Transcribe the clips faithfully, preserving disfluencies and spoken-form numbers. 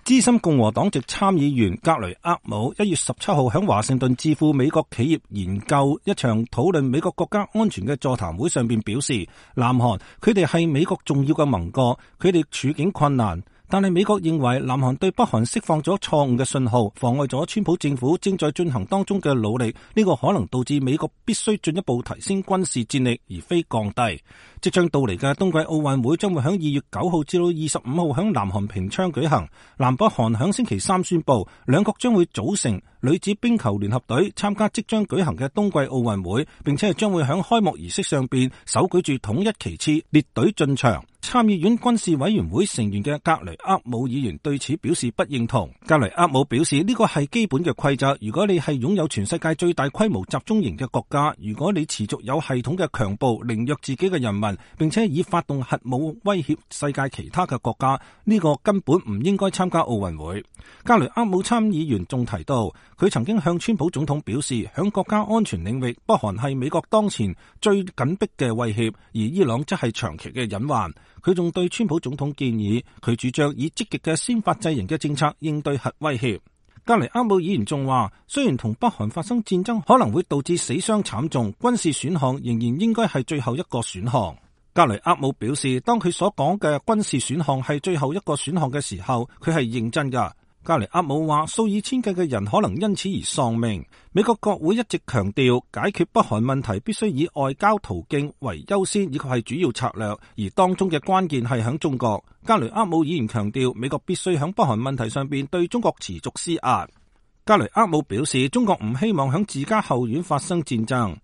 資深共和黨籍參議員格雷厄姆一月十七號喺華盛頓智庫美國企業研究一場討論美國國家安全嘅座談會上邊表示，南韓佢哋係美國重要嘅盟國，佢哋處境困難。但係美國認為南韓對北韓釋放咗錯誤嘅信號，妨礙咗川普政府正在進行當中嘅努力，呢個可能導致美國必須進一步提升軍事戰力，而非降低。即將到嚟嘅冬季奧運會將會喺二月九號至到二十五號喺南韓平昌舉行。南北韓喺星期三宣布，兩國將會組成女子冰球聯合隊參加即將舉行嘅冬季奧運會，並且係將會喺開幕儀式上邊手舉住統一旗幟列隊進場。參議院軍事委員會成員嘅格雷厄姆議員對此表示不認同。格雷厄姆表示，呢個係基本嘅規則，如果你係擁有全世界最大規模集中營嘅國家，如果你持續有系統嘅強暴凌虐自己嘅人民，並且以發動核武威脅世界其他嘅國家，呢個根本唔應該參加奧運會。格雷厄姆參議員仲提到，佢曾經向川普總統表示，響國家安全領域，北韓係美國當前最緊迫嘅威脅，而伊朗則係長期嘅隱患。佢仲對川普總統建議，佢主張以積極嘅先發制人嘅政策應對核威脅。格雷厄姆議員仲話，雖然同北韓發生戰爭可能會導致死傷慘重，軍事選項仍然應該係最後一個選項。格雷厄姆表示，當佢所講嘅軍事選項係最後一個選項嘅時候，佢係認真㗎。格雷厄姆話，數以千計嘅人可能因此而喪命。美國國會一直強調，解決北韓問題必須以外交途徑為優先，以及係主要策略，而當中嘅關鍵係響中國。格雷厄姆議員強調，美國必須響北韓問題上邊對中國持續施壓。格雷厄姆表示，中國唔希望響自家後院發生戰爭，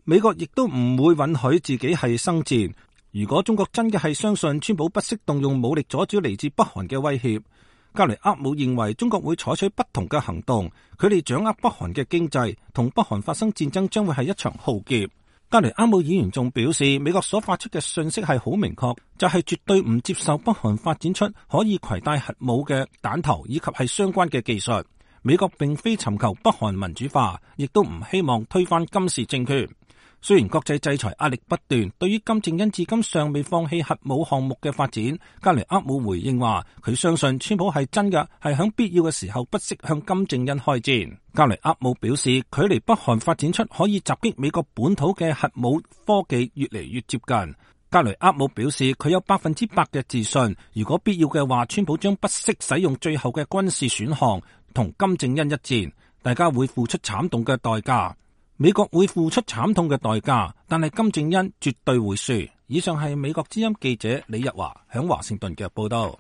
美國亦都唔會允許自己係生戰。如果中國真嘅係相信川普不惜動用武力阻止嚟自北韓嘅威脅，格雷厄姆認為中國會採取不同嘅行動，佢哋掌握北韓嘅經濟，同北韓發生戰爭將會係一場浩劫。格雷厄姆議員仲表示，美國所發出嘅訊息係好明確，就係絕對唔接受北韓發展出可以攜帶核武嘅彈頭以及係相關嘅技術。美國並非尋求北韓民主化，亦都唔希望推翻金氏政權。雖然國際制裁壓力不斷，對於金正恩至今尚未放棄核武項目嘅發展，格雷厄姆回應話，佢相信川普係真嘅，係響必要嘅時候不惜向金正恩開戰。格雷厄姆表示，距離北韓發展出可以襲擊美國本土嘅核武科技越嚟越接近。格雷厄姆表示，佢有百分之百嘅自信，如果必要嘅話，川普將不惜使用最後嘅軍事選項同金正恩一戰，大家會付出慘痛嘅代價。美國會付出慘痛嘅代價，但係金正恩絕對會輸。以上係美國之音記者李日華響華盛頓嘅報道。